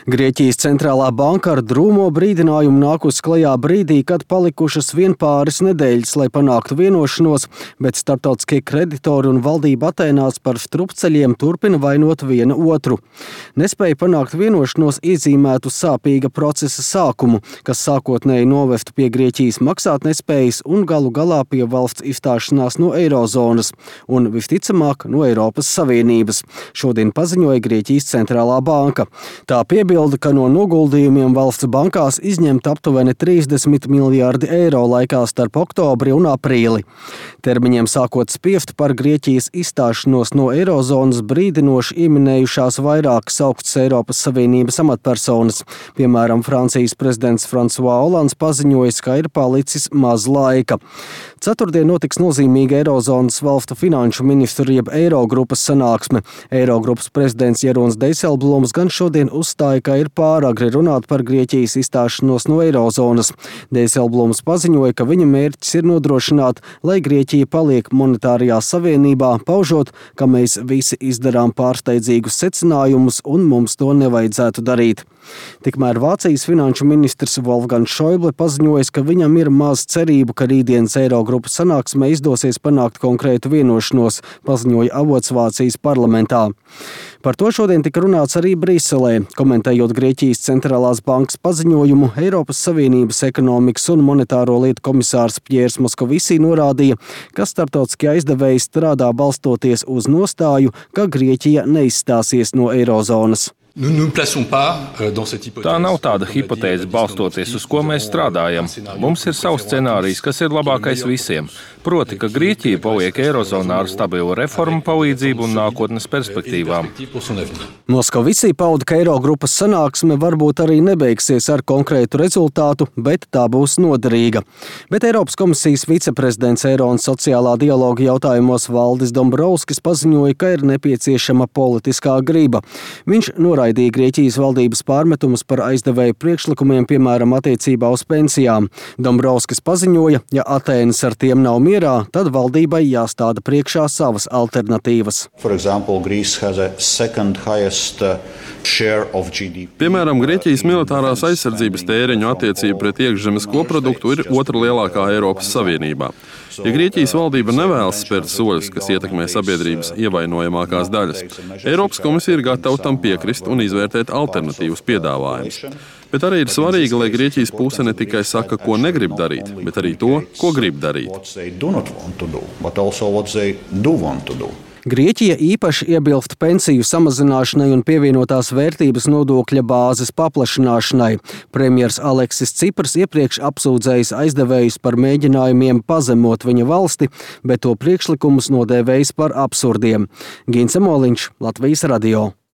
Grieķijas centrālā banka ar drūmo brīdinājumu nākus klajā brīdī, kad palikušas vien pāris nedēļas, lai panāktu vienošanos, bet starptautiskie kreditori un valdība Atēnās par strupceļiem turpina vainot viena otru. Nespēja panākt vienošanos iezīmētu sāpīga procesa sākumu, kas sākotnēji novestu pie Grieķijas maksātnespējas un galu galā pie valsts izstāšanās no eirozonas un, visticamāk, no Eiropas Savienības. Šodien paziņoja Grieķijas centrālā banka. Tā piebilda, ka no noguldījumiem valsts bankās izņemt aptuveni 30 miljārdi eiro laikā starp oktobri un aprīli. Termiņiem sākot spiest par Grieķijas izstāšanos no eirozonas brīdinoši ieminējušās vairākas augstas Eiropas Savienības amatpersonas. Piemēram, Francijas prezidents François Hollands paziņojis, ka ir palicis maz laika. Ceturtdien notiks nozīmīga eirozonas valstu finanšu ministru jeb Eirogrupas sanāksme. Eirogrupas prezidents Jerons Dijsselbloems gan šodien uzstāja, ka ir pāragri runāt par Grieķijas izstāšanos no eirozonas. Dijsselbloems paziņoja, ka viņa mērķis ir nodrošināt, lai Grieķija paliek monetārajā savienībā, paužot, ka mēs visi izdarām pārsteidzīgus secinājumus un mums to nevajadzētu darīt. Tikmēr Vācijas finanšu ministrs Wolfgangs Schäuble paziņojis, ka viņam ir maz cerību, ka rītdienas Eirogrupas sanāksmē izdosies panākt konkrētu vienošanos, paziņoja avots Vācijas parlamentā. Par to šodien tika runāts arī Briselē. Komentējot Grieķijas centrālās bankas paziņojumu, Eiropas Savienības ekonomikas un monetāro lietu komisārs Pjērs Moskovisī norādīja, ka starptautiskie aizdevēji strādā balstoties uz nostāju, ka Grieķija neizstāsies no eirozonas. Tā nav tāda hipotēze, balstoties uz ko mēs strādājam. Mums ir savs scenārijs, kas ir labākais visiem. Proti, ka Grieķija paliek eirozonā ar stabilu reformu palīdzību un nākotnes perspektīvām. Moskovisī pauda, ka Eirogrupas sanāksme varbūt arī nebeigsies ar konkrētu rezultātu, bet tā būs noderīga. Bet Eiropas komisijas viceprezidents Eiro un sociālā dialoga jautājumos Valdis Dombrovskis paziņoja, ka ir nepieciešama politiskā griba. Viņš noraidīja Grieķijas valdības pārmetumus par aizdevēju priekšlikumiem, piemēram, attiecībā uz pensijām. Dombrovskis paziņoja, ja Atēnas ar tiem nav mierā, tad valdībai jāstāda priekšā savas alternatīvas. Piemēram, Grieķijas militārās aizsardzības tēriņu attiecība pret iekšzemes koproduktu ir otra lielākā Eiropas Savienībā. Ja Grieķijas valdība nevēlas spērt soļus, kas ietekmē sabiedrības ievainojamākās daļas, Eiropas komisija ir gatava tam piekrist un izvērtēt alternatīvus piedāvājumus. Bet arī ir svarīgi, lai Grieķijas puse ne tikai saka, ko negrib darīt, bet arī to, ko grib darīt. Grieķija īpaši iebilst pensiju samazināšanai un pievienotās vērtības nodokļa bāzes paplašināšanai. Premjers Aleksis Cipras iepriekš apsūdzējis aizdevējus par mēģinājumiem pazemot viņa valsti, bet to priekšlikumus nodēvējis par absurdiem. Gince Moliņš, Latvijas radio.